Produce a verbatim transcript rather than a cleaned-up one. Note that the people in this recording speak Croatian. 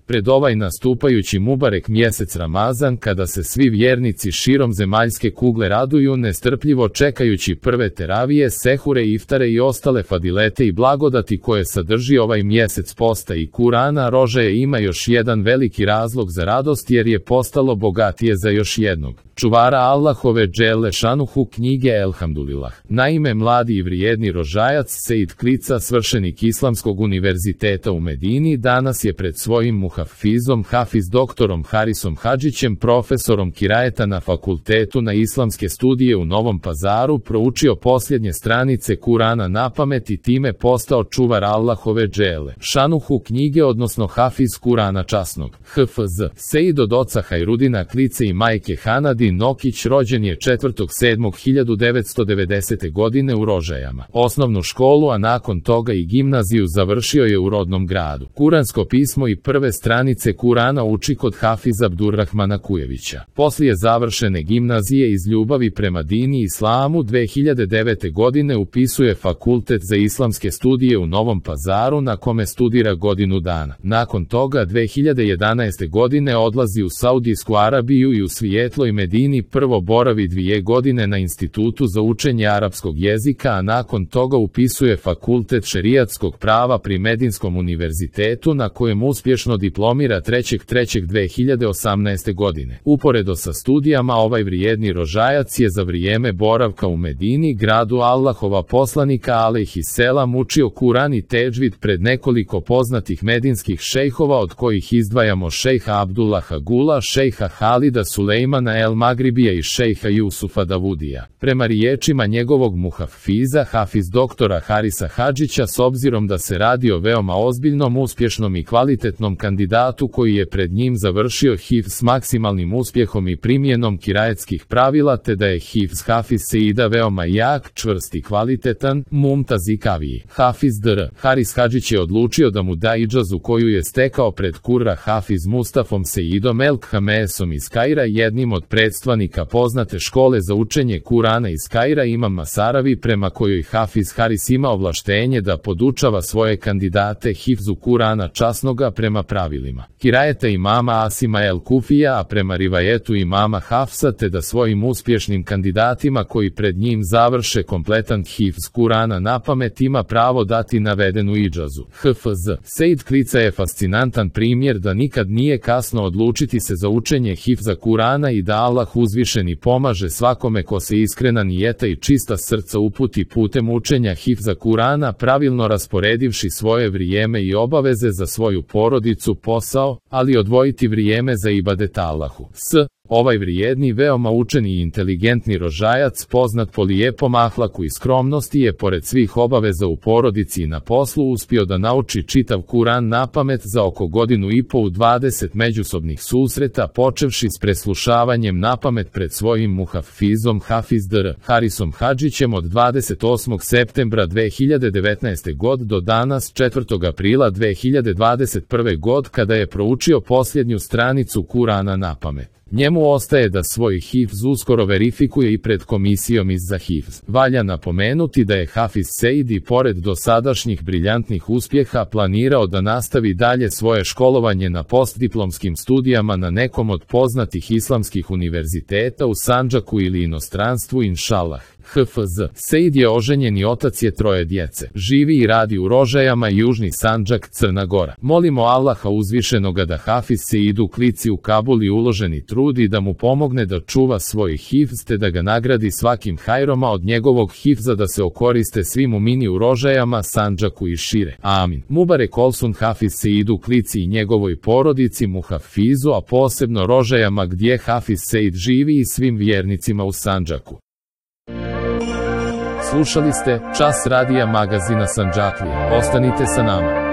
Pred ovaj nastupajući Mubarek mjesec Ramazan, kada se svi vjernici širom zemaljske kugle raduju nestrpljivo čekajući prve teravije, sehure, iftare i ostale fadilete i blagodati koje sadrži ovaj mjesec posta i Kurana, Rožaje ima još jedan veliki razlog za radost jer je postalo bogatije za još jednog čuvara Allahove dželle šanuhu knjige Elhamdulilah. Naime, mladi i vrijedni rožajac Sejd Klica, svršenik Islamskog univerziteta u Medini, danas je pred svojim muhafizom Hafiz doktorom Harisom Hadžićem, profesorom kirajeta na fakultetu na islamske studije u Novom Pazaru, proučio posljednje stranice Kurana napamet i time postao čuvar Allahove dželle šanuhu knjige, odnosno Hafiz Kurana časnog. H F Z Sejd od oca Hajrudina Klice i majke Hanadi Nokić rođen je četvrtog sedmog hiljadu devetsto devedesete. godine u Rožajama. Osnovnu školu, a nakon toga i gimnaziju završio je u rodnom gradu. Kuransko pismo i prve stranice Kurana uči kod Hafiza Abdurrahmana Kujevića. Poslije završene gimnazije iz ljubavi prema dini i islamu dve hiljade devete. godine upisuje fakultet za islamske studije u Novom Pazaru, na kome studira godinu dana. Nakon toga dve hiljade jedanaeste. godine odlazi u Saudijsku Arabiju i u svijetloj Medini prvo boravi dvije godine na Institutu za učenje arapskog jezika, a nakon toga upisuje fakultet šerijatskog prava pri Medinskom univerzitetu, na kojem uspješno diplomira trećeg trećeg dve hiljade osamnaeste. godine. Uporedo sa studijama, ovaj vrijedni rožajac je za vrijeme boravka u Medini, gradu Allahova poslanika alejhiselam, učio Kuran i tedžvid pred nekoliko poznatih medinskih šejhova, od kojih izdvajamo šejha Abdullaha Gula, šejha Halida Sulejmana el Magribija i šejha Jusufa Davudija. Prema riječima njegovog muhafiza Hafiz doktora Harisa Hadžića, s obzirom da se radi o veoma ozbiljnom, uspješnom i kvalitetnom kandidatu koji je pred njim završio hifz s maksimalnim uspjehom i primjenom kirajetskih pravila, te da je hifz Hafiz Seida veoma jak, čvrst i kvalitetan, Mumtaz i Kaviji. Hafiz dr. Haris Hadžić je odlučio da mu da idžazu koju je stekao pred Kurra Hafiz Mustafom Seidom El Khamesom iz Kaira, jednim od predstavnika poznate škole za učenje Kurana iz Kaira, Imam Masaravi, prema kojoj Hafiz Haris ima ovlaštenje da podučava svoje kandidate hifzu Kurana časnoga prema pravilima kirajeta imama Asima el Kufija, a prema rivajetu imama Hafsa, te da svojim uspješnim kandidatima koji pred njim završe kompletan hifz Kurana napamet ima pravo dati navedenu idžazu. H F Z Sejd Klica je fascinantan primjer da nikad nije kasno odlučiti se za učenje hifza Kurana i da Allah uzvišeni pomaže svakome ko se iskrena nijeta i čista srca uputi putem učenja hifza Kurana, pravilno rasporedivši svoje vrijeme i obaveze za svoju porodicu, posao, ali odvojiti vrijeme za ibadet Allahu. S Ovaj vrijedni, veoma učeni i inteligentni rožajac, poznat po lijepom ahlaku i skromnosti, je pored svih obaveza u porodici i na poslu uspio da nauči čitav Kuran napamet za oko godinu i po u dvadeset međusobnih susreta, počevši s preslušavanjem napamet pred svojim muhafizom Hafiz dr. Harisom Hadžićem od dvadeset osmog septembra dve hiljade devetnaeste. god do danas četvrtog aprila dve hiljade dvadeset prve. god, kada je proučio posljednju stranicu Kurana napamet. Njemu ostaje da svoj hifz uskoro verifikuje i pred komisijom iz za hifz. Valja napomenuti da je Hafiz Seid i pored dosadašnjih briljantnih uspjeha planirao da nastavi dalje svoje školovanje na postdiplomskim studijama na nekom od poznatih islamskih univerziteta u Sandžaku ili inostranstvu, inšalah. H F Z Seid je oženjen i otac je troje djece. Živi i radi u Rožajama, Južni Sandžak, Crna Gora. Molimo Allaha uzvišenoga da Hafiz Seidu Klici u Kabuli uloženi trud i da mu pomogne da čuva svoj hifz, te da ga nagradi svakim hajroma od njegovog hifza, da se okoriste svi mumini u Rožajama, Sandžaku i šire. Amin. Mubarek olsun Hafiz Seidu Klici i njegovoj porodici, muhafizu, a posebno Rožajama gdje Hafiz Seid živi, i svim vjernicima u Sandžaku. Slušali ste Čas radija magazina Sandžaklija. Ostanite sa nama.